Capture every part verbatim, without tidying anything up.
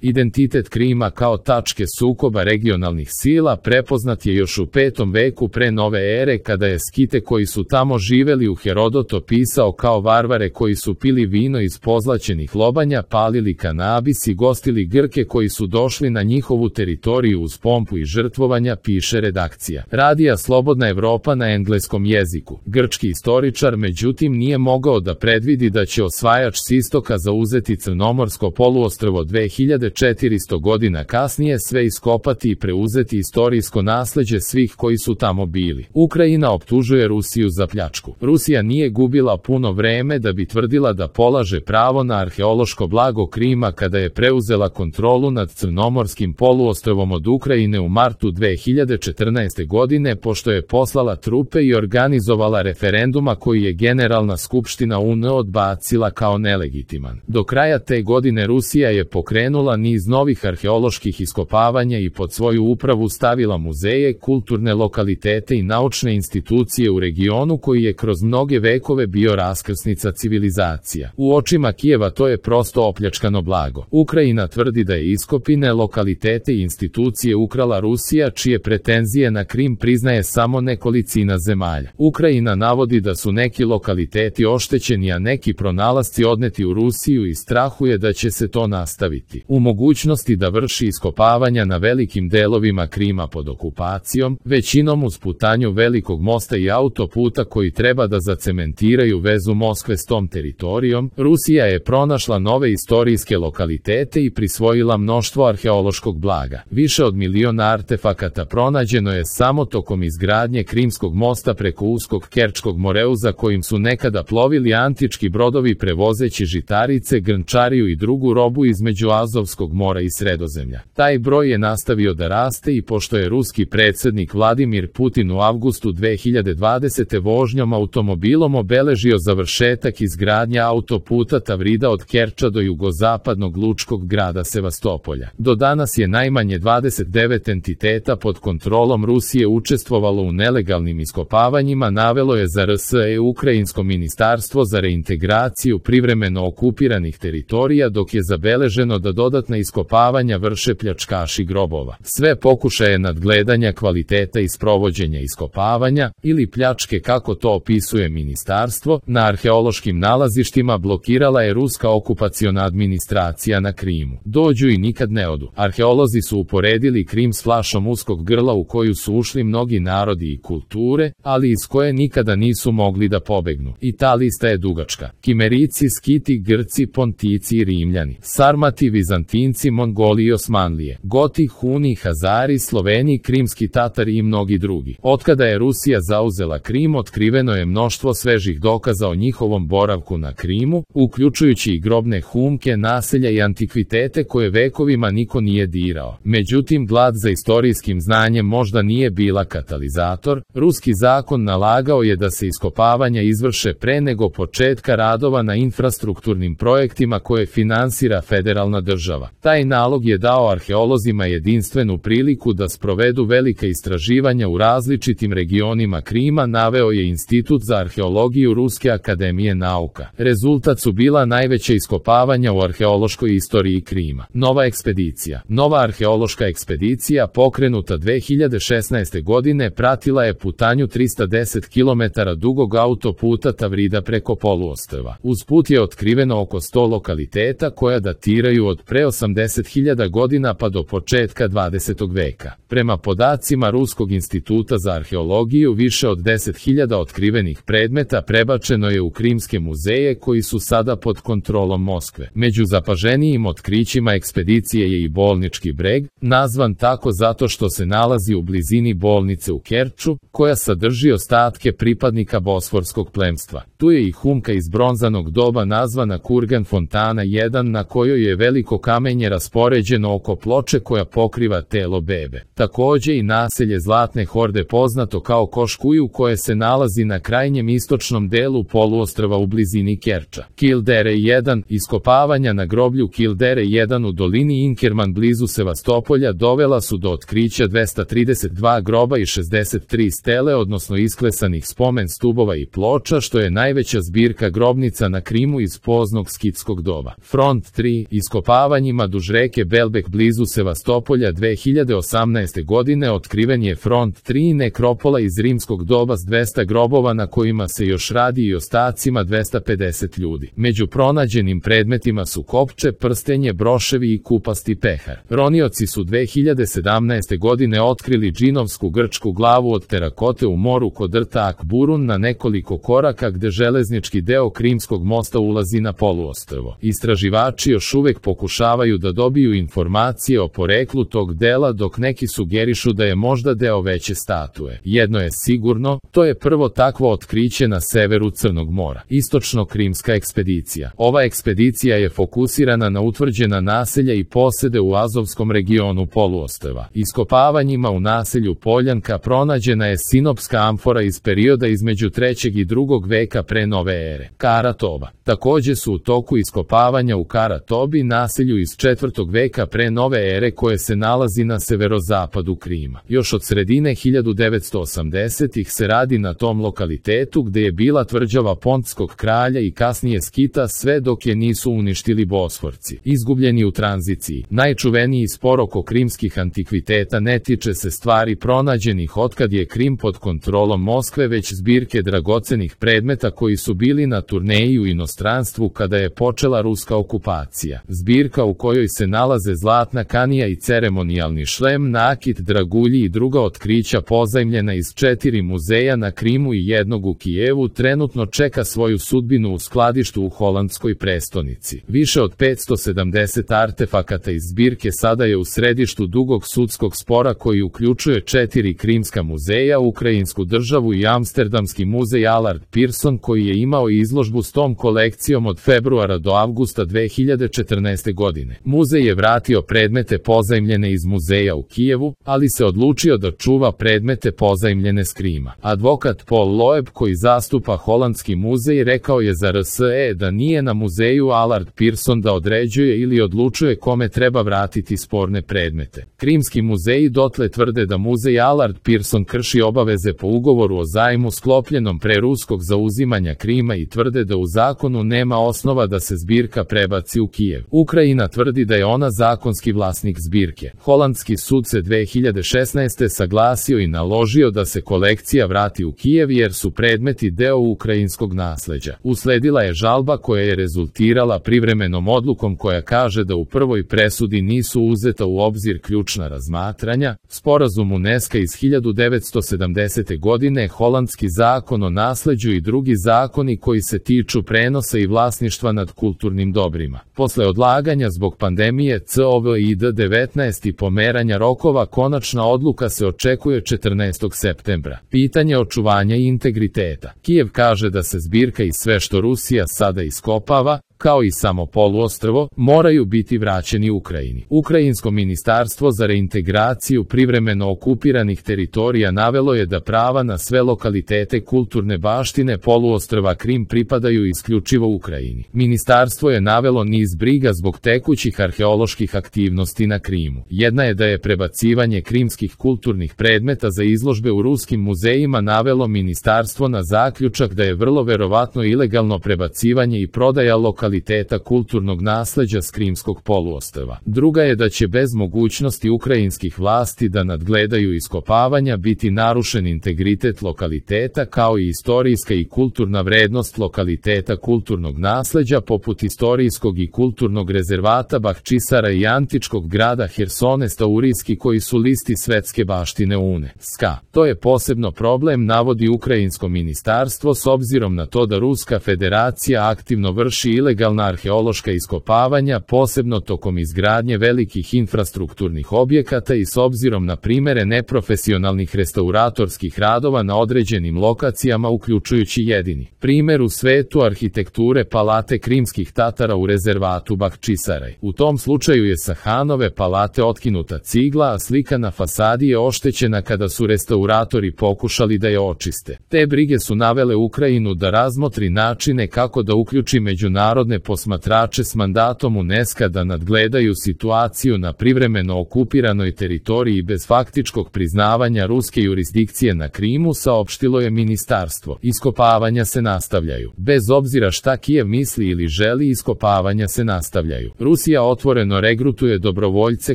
Identitet Krima kao tačke sukoba regionalnih sila prepoznat je još u petom veku pre nove ere, kada je Skite koji su tamo živeli u Herodot opisao kao varvare koji su pili vino iz pozlaćenih lobanja, palili kanabis i gostili Grke koji su došli na njihovu teritoriju uz pompu i žrtvovanja, piše redakcija Radija Slobodna Evropa na engleskom jeziku. Grčki istoričar međutim nije mogao da predvidi da će osvajač s istoka zauzeti Crnomorsko poluostrvo dve hiljade četiristo godina kasnije, sve iskopati i preuzeti istorijsko nasleđe svih koji su tamo bili. Ukrajina optužuje Rusiju za pljačku. Rusija nije gubila puno vreme da bi tvrdila da polaže pravo na arheološko blago Krima kada je preuzela kontrolu nad Crnomorskim poluostrvom od Ukrajine u martu dve hiljade četrnaeste. godine, pošto je poslala trupe i organizovala referenduma koji je Generalna skupština U N odbacila kao nelegitiman. Do kraja te godine Rusija je pokrenula niz novih arheoloških iskopavanja i pod svoju upravu stavila muzeje, kulturne lokalitete i naučne institucije u regionu koji je kroz mnoge vekove bio raskrsnica civilizacija. U očima Kijeva to je prosto opljačkano blago. Ukrajina tvrdi da je iskopine, lokalitete i institucije ukrala Rusija, čije pretenzije na Krim priznaje samo nekolicina zemalja. Ukrajina navodi da su neki lokaliteti oštećeni, a neki pronalasci odneti u Rusiju i strahuje da će se to nastaviti. U mogućnosti da vrši iskopavanja na velikim delovima Krima pod okupacijom, većinom uz putanju velikog mosta i autoputa koji treba da zacementiraju vezu Moskve s tom teritorijom, Rusija je pronašla nove istorijske lokalitete i prisvojila mnoštvo arheološkog blaga. Više od miliona artefakata pronađeno je samo tokom izgradnje Krimskog mosta preko uskog Kerčkog moreuza kojim su nekada plovili antički brodovi prevozeći žitarice, grnčariju i drugu robu između Azovskog mora i Sredozemlja. Taj broj je nastavio da raste i pošto je ruski predsjednik Vladimir Putin u avgustu dve hiljade dvadesete. vožnjom automobilom obeležio završetak izgradnje autoputa Tavrida od Kerča do jugozapadnog lučkog grada Sevastopolja. Do danas je najmanje dvadeset devet entiteta pod kontrolom Rusije učestvovalo u nelegalnim iskopavanjima, navelo je za R S E Ukrajinsko ministarstvo za reintegraciju privremeno okupiranih teritorija, dok je zabeleženo da dodatna iskopavanja vrše pljačkaši grobova. Sve pokušaje nadgledanja kvaliteta i sprovođenja iskopavanja, ili pljačke kako to opisuje ministarstvo, na arheološkim nalazištima blokirala je ruska okupaciona administracija na Krimu. Dođu i nikad ne odu. Arheolozi su uporedili Krim s flašom uskog grla u koju su ušli mnogi narodi i kulture, ali iz koje nikada nisu mogli da pobegnu. I ta lista je dugačka. Kimerici, Skiti, Grci, Pontici i Rimljani, Sarmati, Vizantinci, Mongoli i Osmanlije, Goti, Huni, Hazari, Sloveni, Krimski Tatari i mnogi drugi. Otkada je Rusija zauzela Krim, otkriveno je mnoštvo svežih dokaza o njihovom boravku na Krimu, uključujući i grobne humke, naselja i antikvitete koje vekovima niko nije dirao. Međutim, glad za istorijskim znanjem možda nije bila katalizator. Ruski zakon nalagao je da se iskopavanja izvrše pre nego početka radova na infrastrukturnim projektima koje finansira federalna država. Taj nalog je dao arheolozima jedinstvenu priliku da sprovedu velika istraživanja u različitim regionima Krima, naveo je Institut za arheologiju Ruske akademije nauka. Rezultat su bila najveća iskopavanja u arheološkoj istoriji Krima. Nova ekspedicija. Nova arheološka ekspedicija pokrenuta dve hiljade šesnaeste. godine pratila je putanju trista deset kilometara dugog autoputa Tavrida preko poluostrva. Uz put je otkriveno oko sto lokaliteta koja datiraju od pre osamdeset hiljada godina pa do početka dvadesetog veka. Prema podacima Ruskog instituta za arheologiju, više od deset hiljada otkrivenih predmeta prebačeno je u krimske muzeje koji su sada pod kontrolom Moskve. Među zapaženijim otkrićima ekspedicije je i bolnički breg, nazvan tako zato što se nalazi u blizini bolnice u Kerču, koja sadrži ostatke pripadnika bosforskog plemstva. Tu je i humka iz bronzanog doba nazvana Kurgan Fontana jedan, na kojoj je veliko kamenje raspoređeno oko ploče koja pokriva telo bebe. Takođe i naselje Zlatne horde, poznato kao Koškuju, koje se nalazi na krajnjem istočnom delu poluostrva u blizini Kerča. Kildere jedan. Iskopavanja na groblju Kildere jedan u dolini Inkerman blizu Sevastopolja dovela su do otkrića dvesta trideset dva groba i šezdeset tri stele, odnosno isklesanih spomen stubova i ploča, što je najveća zbirka grobnica na Krimu iz poznog skitskog doba. Front tri. Iskopavanje iskopavanjima duž reke Belbek blizu Sevastopolja dve hiljade osamnaeste. godine otkriven je front tri nekropola iz rimskog doba s dvesta grobova na kojima se još radi i ostacima dvesta pedeset ljudi. Među pronađenim predmetima su kopče, prstenje, broševi i kupasti pehar. Ronioci su dve hiljade sedamnaeste. godine otkrili džinovsku grčku glavu od terakote u moru kod rta Akburun na nekoliko koraka gde železnički deo Krimskog mosta ulazi na poluostrvo. Istraživači još uvek pokušavaju da dobiju informacije o poreklu tog dela, dok neki sugerišu da je možda deo veće statue. Jedno je sigurno, to je prvo takvo otkriće na severu Crnog mora. Istočno-krimska ekspedicija. Ova ekspedicija je fokusirana na utvrđena naselja i posede u Azovskom regionu poluostrva. Iskopavanjima u naselju Poljanka pronađena je sinopska amfora iz perioda između trećeg i drugog veka pre nove ere. Karatoba. Takođe su u toku iskopavanja u Karatobi, naselju iz četvrtog veka pre nove ere koje se nalazi na severozapadu Krima. Još od sredine hiljadu devetsto osamdesetih se radi na tom lokalitetu gde je bila tvrđava Pontskog kralja i kasnije Skita sve dok je nisu uništili Bosforci. Izgubljeni u tranziciji. Najčuveniji spor oko krimskih antikviteta ne tiče se stvari pronađenih otkad je Krim pod kontrolom Moskve, već zbirke dragocenih predmeta koji su bili na turneji u inostranstvu kada je počela ruska okupacija. Zbirka u kojoj se nalaze zlatna kanija i ceremonijalni šlem, nakit, dragulji i druga otkrića pozajmljena iz četiri muzeja na Krimu i jednog u Kijevu trenutno čeka svoju sudbinu u skladištu u holandskoj prestonici. Više od petsto sedamdeset artefakata iz zbirke sada je u središtu dugog sudskog spora koji uključuje četiri krimska muzeja, Ukrajinsku državu i Amsterdamski muzej Allard Pearson koji je imao izložbu s tom kolekcijom od februara do avgusta dve hiljade četrnaeste. godine. Muzej je vratio predmete pozajmljene iz muzeja u Kijevu, ali se odlučio da čuva predmete pozajmljene s Krima. Advokat Paul Loeb koji zastupa holandski muzej rekao je za R S E da nije na muzeju Allard Pearson da određuje ili odlučuje kome treba vratiti sporne predmete. Krimski muzeji dotle tvrde da muzej Allard Pearson krši obaveze po ugovoru o zajmu sklopljenom pre ruskog zauzimanja Krima i tvrde da u zakonu nema osnova da se zbirka prebaci u Kijev. Ukrajina tvrdi da je ona zakonski vlasnik zbirke. Holandski sud se dve hiljade šesnaeste. saglasio i naložio da se kolekcija vrati u Kijev jer su predmeti deo ukrajinskog nasleđa. Usledila je žalba koja je rezultirala privremenom odlukom koja kaže da u prvoj presudi nisu uzeta u obzir ključna razmatranja. Sporazum UNESCO iz hiljadu devetsto sedamdesete. godine, holandski zakon o nasleđu i drugi zakoni koji se tiču prenosa i vlasništva nad kulturnim dobrima. Posle odlaganja zbog pandemije kovid devetnaest i pomeranja rokova konačna odluka se očekuje četrnaestog septembra. Pitanje očuvanja i integriteta. Kijev kaže da se zbirka i sve što Rusija sada iskopava, kao i samo poluostrvo, moraju biti vraćeni Ukrajini. Ukrajinsko ministarstvo za reintegraciju privremeno okupiranih teritorija navelo je da prava na sve lokalitete kulturne baštine poluostrva Krim pripadaju isključivo Ukrajini. Ministarstvo je navelo niz briga zbog tekućih arheoloških aktivnosti na Krimu. Jedna je da je prebacivanje krimskih kulturnih predmeta za izložbe u ruskim muzejima navelo ministarstvo na zaključak da je vrlo verovatno ilegalno prebacivanje i prodaja lokaliteta kvaliteta kulturnog nasleđa s Krimskog poluostrva. Druga je da će bez mogućnosti ukrajinskih vlasti da nadgledaju iskopavanja biti narušen integritet lokaliteta kao i istorijska i kulturna vrednost lokaliteta kulturnog nasleđa poput istorijskog i kulturnog rezervata Bahčisara i antičkog grada Hersonesta Urijski koji su listi svetske baštine UNESCO. To je posebno problem, navodi ukrajinsko ministarstvo, s obzirom na to da Ruska federacija aktivno vrši ilegalna arheološka iskopavanja, posebno tokom izgradnje velikih infrastrukturnih objekata i s obzirom na primere neprofesionalnih restauratorskih radova na određenim lokacijama, uključujući jedini primer u svetu arhitekture palate Krimskih Tatara u rezervatu Bahčisaraj. U tom slučaju je sa Hanove palate otkinuta cigla, a slika na fasadi je oštećena kada su restauratori pokušali da je očiste. Te brige su navele Ukrajinu da razmotri načine kako da uključi međunarodne međunarodne posmatrače s mandatom UNESCO da nadgledaju situaciju na privremeno okupiranoj teritoriji bez faktičkog priznavanja ruske jurisdikcije na Krimu, saopštilo je ministarstvo. Iskopavanja se nastavljaju. Bez obzira šta Kijev misli ili želi, iskopavanja se nastavljaju. Rusija otvoreno regrutuje dobrovoljce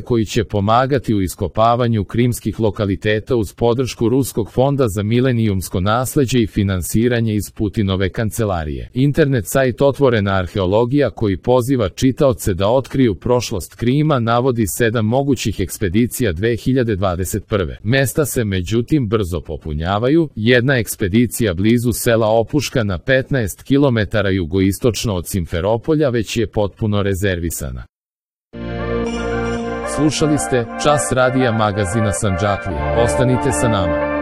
koji će pomagati u iskopavanju krimskih lokaliteta uz podršku Ruskog fonda za milenijumsko nasleđe i finansiranje iz Putinove kancelarije. Internet sajt Otvorena arheologija, koji poziva čitaoce da otkriju prošlost Krima, navodi sedam mogućih ekspedicija dve hiljade dvadeset prve. Mesta se međutim brzo popunjavaju. Jedna ekspedicija blizu sela Opuška na petnaest kilometara jugoistočno od Simferopolja već je potpuno rezervisana. Slušali ste Čas radija magazina Sandžaklija. Ostanite sa nama.